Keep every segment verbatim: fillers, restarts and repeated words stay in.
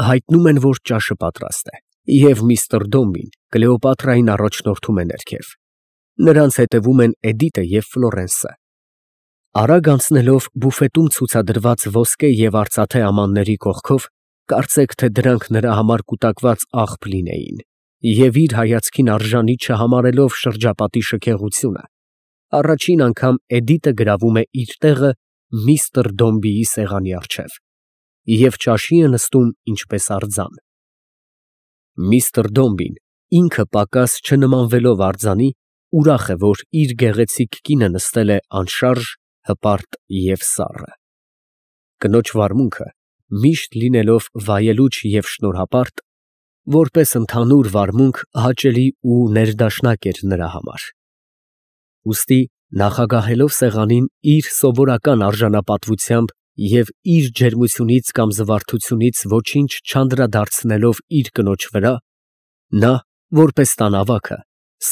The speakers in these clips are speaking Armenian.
Հայտնում են, որ ճաշը պատրաստ է, և միստր Դոմբին Կլեոպատրային առաջնորդում է ներքև. նրանց հետևում են Էդիտը և Ֆլորենսը։ Արագ անցնելով բուֆետում ցուցադրված ոսկե և արծաթե ամանների կողքով, կարծեք, թե դրանք նրա համար կուտակված աղբ լինեին, և իր հայացքին արժանի չհամարելով շրջապատի շքեղությունը, առաջին անգամ Էդիտը գրավում է իր տեղը միստր Դոմբիի սեղանի առջև և ճաշի է նստում ինչպես արձան։ Միստր Դոմբին, ինքը պակաս չնմանվելով արձանի, ուրախ է, որ իր գեղեցիկ կինը նստել է անշարժ, հպարտ և սառը։ Կնոջ վարմունքը միշտ լինելով վայելուչ և շնորհապարտ, որպես ընդհանուր վարմունք հաճելի ու ներդաշնակ էր նրա համար։ Ուստի, նախագահելով սեղանին իր սովորական արժանապատվությամբ և իր ջերմությունից կամ զվարթությունից ոչինչ չանդրադարձնելով իր կնոջ վրա, նա, որպես տան ավագը,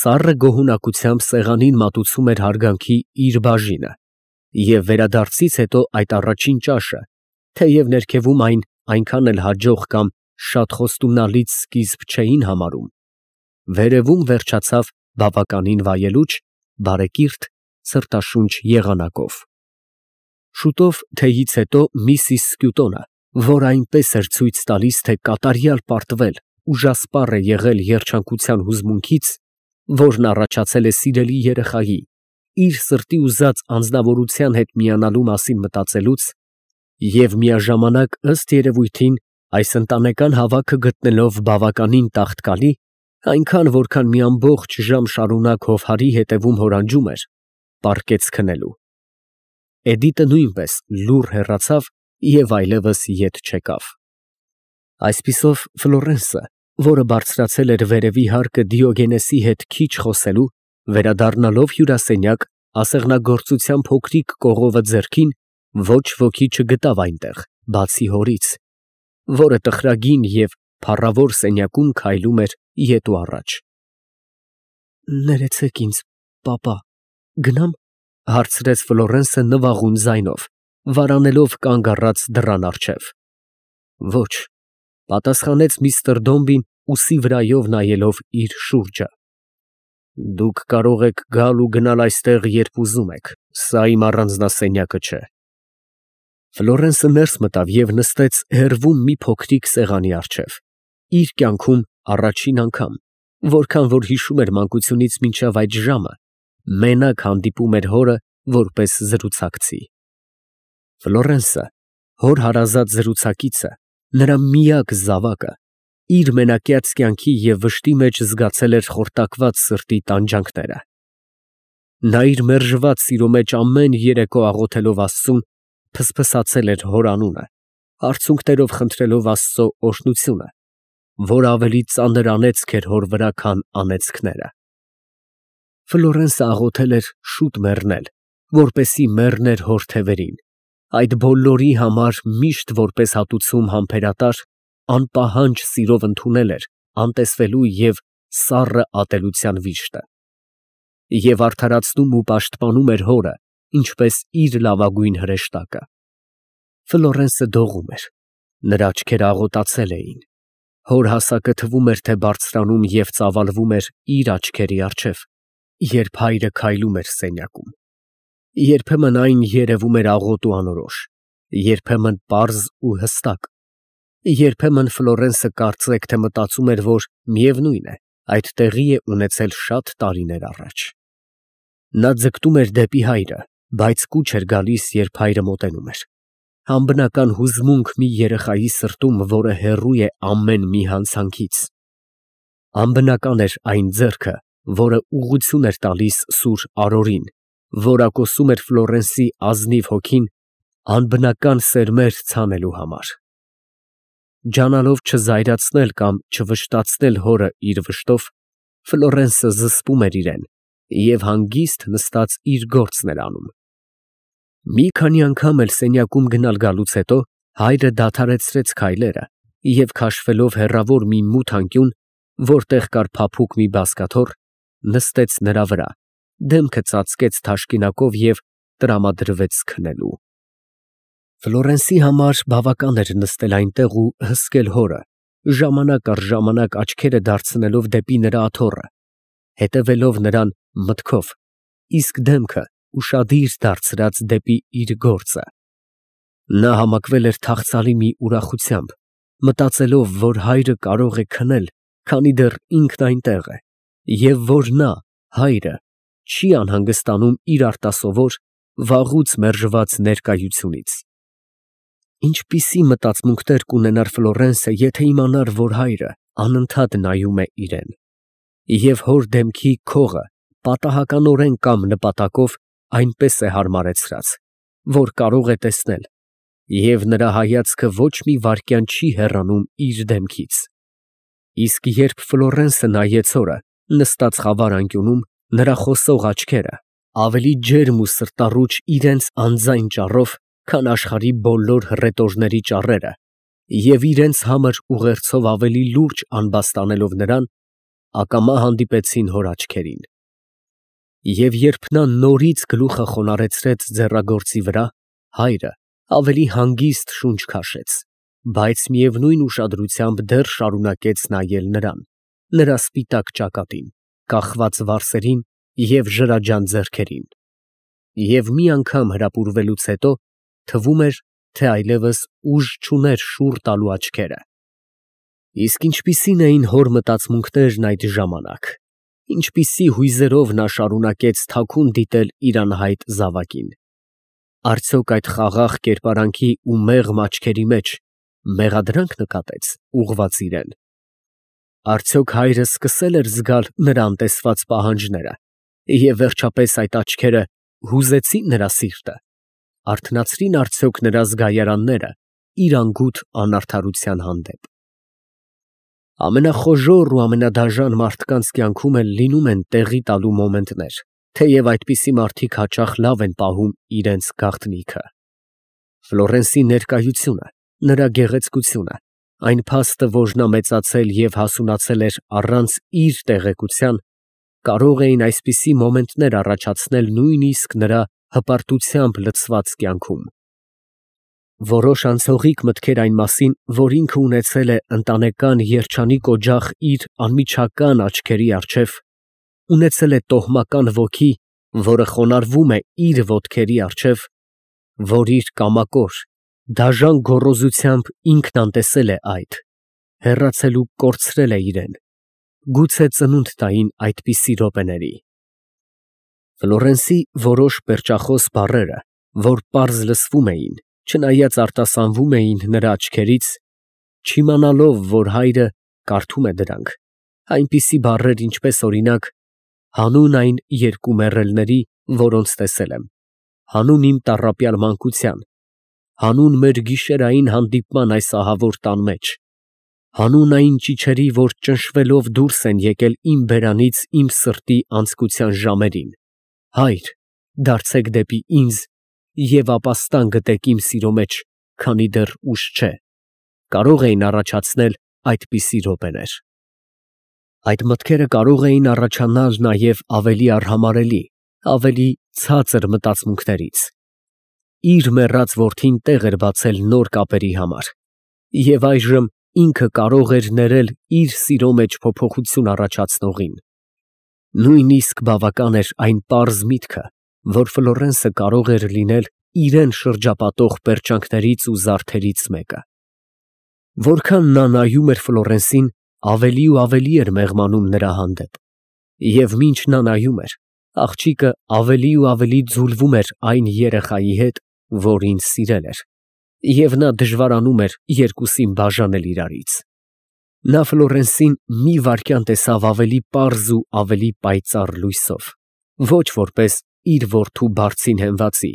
սառը գոհունակությամբ սեղանին մատուցում էր հարգանքի իր բաժինը և վերադարձից հետո այդ առաջին ճաշը, թեև ներքևում այն այնքան էլ հաջող կամ շատ խոստումնալից սկիզբ չէին համարում, վերևում վերջացավ բավականին վայելուչ, բարեկիրթ, սրտաշունչ եղանակով։ Շուտով, թեյից հետո, միսիս Սկյուտոնը, որ այնպես էր ցույց տալիս, թե կատարյալ պարտվել, ուժասպառ է եղել երջանկության հուզմունքից, որն առաջացել է սիրելի երեխայի, իր սրտի ուզած անձնավորության հետ միանալու մասին մտածելուց, և միաժամանակ, ըստ երևույթին, այս ընտանեկան հավաքը գտնելով բավականին տաղտկալի, այնքան, որքան մի ամբողջ ժամ շարունակ հովհարի հետևում հորանջում էր, պառկեց քնելու։ Էդիտը նույնպես լուռ հեռացավ և այլևս ետ չեկավ։ Այսպիսով, Ֆլորենսը, որը բարձրացել էր վերևի հարկը Դիոգենեսի հետ քիչ խոսելու, վերադառնալով հյուրասենյակ, ասեղնագործության փոքրիկ կողովը ձեռքին, ոչ ոքի չգտավ այնտեղ, բացի հորից, որը տխրագին և փառավոր սենյակում քայլում էր ետ ու առաջ։ «Ներեցեք ինձ, պապա, գնա՞մ», ֊ հարցրեց Ֆլորենսը նվաղուն ձայնով, վարանելով կանգ առած դռան առջև։ «Ոչ», ֊ պատասխանեց միստր Դոմբին, ուսի վրայով նայելով իր շուրջը։ «Դուք կարող եք գալ ու գնալ այստեղ, երբ ուզում եք, սա իմ առանձնասենյակը չէ»։ Ֆլորենսը ներս մտավ և նստեց հեռվում մի փոքրիկ սեղանի առջև, իր կյանքում առաջին անգամ, որքան որ հիշում էր մանկությունից մինչև այդ ժամը, մենակ հանդիպում էր հորը որպես զրուցակցի։ Ֆլորենսը, հոր հարազատ զրուցակիցը, նրա միակ զավակը, իր մենակյաց կյանքի և վշտի մեջ զգացել էր խորտակված սրտի տանջանքները։ Նա իր մերժված սիրո մեջ ամեն երեկո աղոթելով Աստծուն, փսփսացել էր հոր անունը, արցունքներով խնդրելով Աստծո օրհնությունը, որ ավելի ծանր անեծք էր հոր վրա, քան անեծքները։ Ֆլորենսը աղոթել էր շուտ մեռնել, որպեսզի մեռներ հոր թևերին, այդ բոլորի համար միշտ որպես հատուցում համբերատար, անպահանջ սիրով ընդունել էր անտեսվելու և սառը ատելության վիշտը, և արդարացնում ու պաշտպանում էր հորը, ինչպես իր լավագույն հրեշտակը։ Ֆլորենսը դողում էր, նրա աչքերը աղոտացել էին, հոր հասակը թվում էր, թե բարձրանում և ծավալվում էր իր աչքերի առջև, երբ հայրը քայլում էր սենյակում։ Երբեմն այն երևում էր աղոտ ու անորոշ, երբեմն պարզ ու հստակ, երբեմն Ֆլորենսը կարծեք թե մտածում էր, որ միևնույն է, այդ տեղի է ունեցել շատ տարիներ առաջ։ Նա ձգտում էր դեպի հայրը, բայց կուչ էր գալիս, երբ հայրը մոտենում էր, անբնական հուզմունք մի երեխայի սրտում, որը հեռու է ամեն մի հանցանքից։ Անբնական էր այն ձեռքը, որը ուղղություն էր տալիս սուր արորին, որակոսում էր Ֆլորենսի ազնիվ հոգին անբնական սերմեր ցանելու համար։ Ջանալով չզայրացնել կամ չվշտացնել հորը իր վշտով, Ֆլորենսը զսպում էր իրեն և հանգիստ նստած իր գործն էր անում։ Մի քանի անգամ էլ սենյակում գնալ գալուց հետո հայրը դադարեցրեց քայլերը և քաշվելով հեռավոր մի մութ անկյուն, որտեղ կար փափուկ մի բազկաթոռ, նստեց նրա վրա, դեմքը ծածկեց թաշկինակով և տրամադրվեց քնելու։ Ֆլորենսի համար բավական էր նստել այնտեղ ու հսկել հորը, ժամանակ առ ժամանակ աչքերը դարձնելով դեպի նրա աթոռը, հետևելով նրան մտքով, իսկ դեմքը ուշադիր դարձրած դեպի իր գործը։ Նա համակվել էր թախծալի մի ուրախությամբ, մտածելով, որ հայրը կարող է քնել, քանի դեռ ինքն այնտեղ է, և որ նա, հայրը, չի անհանգստանում իր արտասովոր, վաղուց մերժված ներկայությունից։ Ինչպիսի մտածմունքներ կունենար Ֆլորենսը, եթե իմանար, որ հայրը անընդհատ նայում է իրան, և հոր դեմքի քողը պատահականորեն կամ նպատակով այնպես է հարմարեցրած, որ կարող է տեսնել, և նրա հայացքը ոչ մի վայրկյան չի հեռանում իր դեմքից։ Իսկ երբ Ֆլորենսը նայեց հորը, նստած խավար անկյունում, նրա խոսող աչքերը ավելի ջերմ ու սրտառուչ իրենց անձայն ճառով, քան աշխարհի բոլոր հռետորների ճառերը, և իրենց համր ուղերձով ավելի լուրջ ամբաստանելով նրան, ակամա հանդիպեցին հոր աչքերին։ Եվ երբ նա նորից գլուխը խոնարհեցրեց ձեռագործի վրա, հայրը ավելի հանգիստ շունչ քաշեց, բայց միևնույն ուշադրությամբ դեռ շարունակեց նայել նրան, նրա սպիտակ ճակատին, կախված վարսերին և ջրաջան ձեռքերին, և մի անգամ հրապուրվելուց հետո թվում էր, թե այլևս ուժ չուներ շուռ տալու աչքերը։ Իսկ ինչպիսի՞ն էին հոր մտածմունքներն այդ ժամանակ, ինչպիսի հույզերով նա շարունակեց թաքուն դիտել իր անհայտ զավակին։ Արդյոք այդ խաղաղ կերպարանքի ու մեղմ աչքերի մեջ մեղադրանք նկատեց ուղղված իրան։ Արդյոք հայրը սկսել էր զգալ նրա անտեսված պահանջները, և վերջապես այդ աչքերը հուզեցի՞ն նրա սիրտը, արթնացրի՞ն արդյոք նրա զգայարանները իր անգութ անարդարության հանդեպ։ Ամենախոժոռ ու ամենադաժան մարդկանց կյանքում էլ լինում են տեղի տալու մոմենտներ, թեև այդպիսի մարդիկ հաճախ լավ են պահում իրենց գաղտնիքը։ Ֆլորենսի ներկայությունը, նրա գեղեցկությունը, այն փաստը, որ նա մեծացել և հասունացել էր առանց իր տեղեկության, կարող էին այսպիսի մոմենտներ առաջացնել նույնիսկ նրա հպարտությամբ լցված կյանքում։ Որոշ անցողիկ մտքեր այն մասին, որ ինքը ունեցել է ընտանեկան երջանիկ օջախ իր անմիջական աչքերի առջև, ունեցել է տոհմական ոգի, որը խոնարհվում է իր ոտքերի առջև, որ իր կամակոր, դաժան գոռոզությամբ ինքն անտեսել է այդ, հեռացել ու կորցրել է իրան, գուցե ծնունդ տային այդպիսի րոպեների։ Ֆլորենսի որոշ պերճախոս բառերը, որ պարզ լսվում էին, չնայած արտասանվում էին նրա աչքերից, չիմանալով, որ հայրը կարդում է դրանք, այնպիսի բառեր, ինչպես օրինակ, հանուն այն երկու մեռելների, որոնց տեսել եմ, հանուն իմ տառապյալ մանկության, հանուն մեր գիշերային հանդիպման այս ահավոր տան մեջ, հանուն այն ճիչերի, որ ճնշվելով դուրս են եկել իմ բերանից իմ սրտի անձկության ժամերին, հայր, դարձեք դեպի ինձ և ապաստան գտեք իմ սիրո մեջ, քանի դեռ ուշ չէ, կարող էին առաջացնել այդպիսի րոպեներ։ Այդ մտքերը կարող էին առաջանալ նաև ավելի արհամարհելի, ավելի ցածր մտածմունքներից։ Իր մեռած որդին տեղ էր բացել նոր կապերի համար, և այժմ ինքը կարող էր ներել իր սիրո մեջ փոփոխություն առաջացնողին։ Նույնիսկ բավական էր այն պարզ միտքը, որ Ֆլորենսը կարող էր լինել իրան շրջապատող պերճանքներից ու զարդերից մեկը։ Որքան նա նայում էր Ֆլորենսին, ավելի ու ավելի էր մեղմանում նրա հանդեպ, և մինչ նա նայում էր, աղջիկը ավելի ու ավելի ձուլվում էր այն երեխայի հետ, որին սիրել էր, և նա դժվարանում էր երկուսին բաժանել իրարից։ Նա Ֆլորենսին մի վայրկյան տեսավ ավելի պարզ ու ավելի պայծառ լույսով, ոչ որպես իր որդու բարձին հենվածի,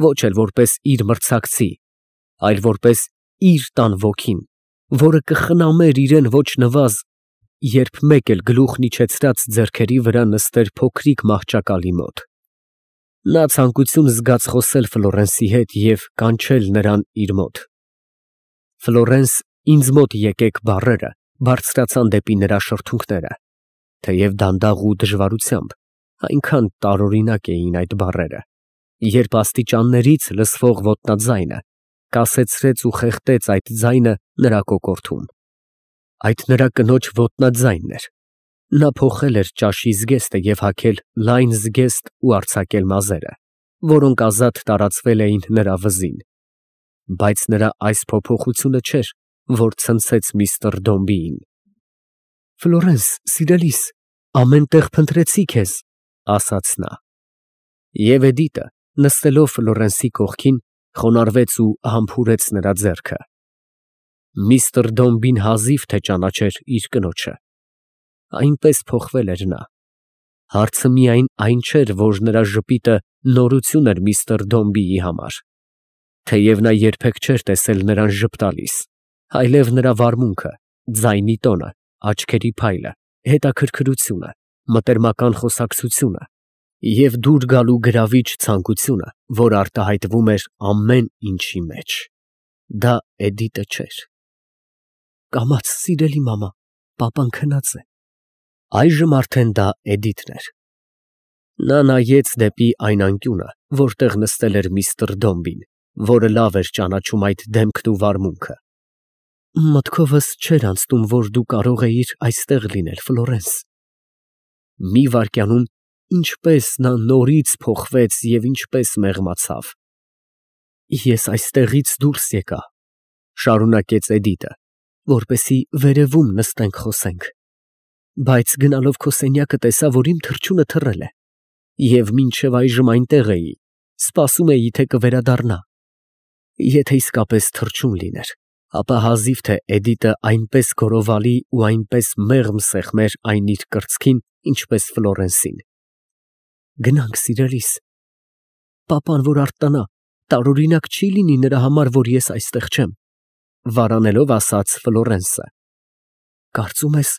ոչ էլ որպես իր մրցակցի, այլ որպես իր տան ոգին, որը կխնամեր իրան ոչ նվազ, երբ մեկ էլ գլուխն իջեցրած ձեռքերի վրա նստեր փոքրիկ մահճակալի մոտ։ Նա ցանկություն զգաց խոսել Ֆլորենսի հետ և կանչել նրան իր մոտ։ «Ֆլորենս, ինձ մոտ եկեք» բառերը բարձրացան դեպի նրա շրթունքները, թեև դանդաղ ու դժվարությամբ, այնքան տարօրինակ էին այդ բառերը, երբ աստիճաններից լսվող ոտնաձայնը կասեցրեց ու խեղդեց այդ ձայնը նրա կոկորդում։ Այդ նրա կնոջ ոտնաձայնն էր։ Նա փոխել էր ճաշի զգեստը և հագել լայն զգեստ ու արձակել մազերը, որոնք ազատ տարածվել էին նրա վզին։ Բայց նրա այս փոփոխությունը չէր, որ ցնցեց միստր Դոմբիին։ «Ֆլորենս, սիրելիս, ամեն տեղ փնտրեցի քեզ», ասաց նա։ Եվ Էդիտը, նստելով Ֆլորենսի կողքին, խոնարհվեց ու համբուրեց նրա ձեռքը։ Միստր Դոմբին հազիվ թե ճանաչեր իր կնոջը։ Այնպես փոխվել էր նա։ Հարցը միայն այն չէր, որ նրա ժպիտը նորություն էր միստր Դոմբիի համար, թեև նա երբեք չէր տեսել նրան ժպտալիս, այլև նրա վարմունքը, ձայնի տոնը, աչքերի փայլը, հետաքրքրությունը, մտերմական խոսակցությունը և դուր գալու գրավիչ ցանկությունը, որ արտահայտվում էր ամեն ինչի մեջ։ Դա Էդիտը չէր։ «Կամաց, սիրելի մամա, պապան քնած է»։ Այժմ արդեն դա Էդիտն էր։ Նա նայեց դեպի այն անկյունը, որտեղ նստել էր միստր Դոմբին, որը լավ էր ճանաչում այդ դեմքն ու վարմունքը։ «Մտքովս չէր անցնում, որ դու կարող էիր այստեղ լինել, Ֆլորենս»։ Մի վայրկյանում ինչպես նա նորից փոխվեց և ինչպես մեղմացավ։ «Ես այստեղից դուրս եկա», ֊ շարունակեց Էդիտը, «որպեսզի վերևում նստենք խոսենք, բայց գնալով քո սենյակը տեսա, որ իմ թռչունը թռել է, և մինչև այժմ այնտեղ էի, սպասում էի, թե կվերադառնա։ Եթե իսկապես թռչուն լիներ, ապա հազիվ թե Էդիտը այնպես գոռովալի ու այնպես մեղմ սեղմեր այն իր կրծքին, ինչպես Ֆլորենսին։ Գնանք, սիրելիս։ Պապան, որ արթնանա, տարօրինակ չի լինի նրա համար, որ ես այստեղ չեմ, ֊ վարանելով ասաց Ֆլորենսը։ Կարծում ես,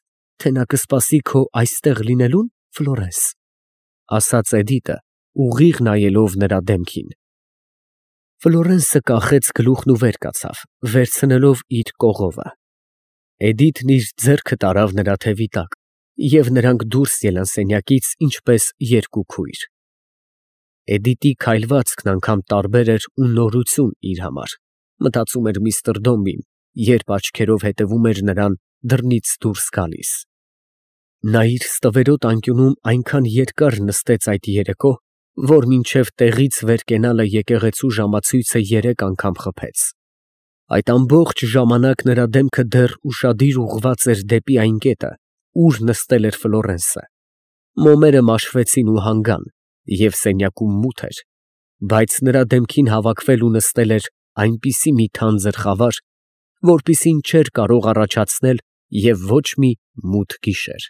թե նա կսպասի քո այստեղ լինելո՞ւն, Ֆլորենս, ֊ ասաց Էդիտը, ուղիղ նայելով նրա դեմքին։ Ֆլորենսը կախեց գլուխն ու վեր կացավ, վերցնելով իր կողովը։ Էդիտն իր ձեռքը տարավ նրա թևի տակ, և նրանք դուրս ելան սենյակից ինչպես երկու քույր։ Էդիտի քայլվածքն անգամ տարբեր էր ու նորություն իր համար, մտածում էր միստր Դոմբին, երբ աչքերով հետևում էր նրան դռնից դուրս գալիս։ Նա իր ստվերոտ անկյունում այնքան երկար նստեց այդ երեկո, որ մինչև տեղից վեր կենալը եկեղեցու ժամացույցը երեք անգամ խփեց։ Այդ ամբողջ ժամանակ նրա դեմքը դեռ ուշադիր ուղղված էր դեպի այն կետը, ուր նստել էր Ֆլորենսը։ Մոմերը մաշվեցին ու հանգան, և սենյակում մութ էր, բայց նրա դեմքին հավաքվել ու նստել էր այնպիսի մի թանձր խավար, որպիսին չէր կարող առաջացնել և ոչ մի մութ գիշեր։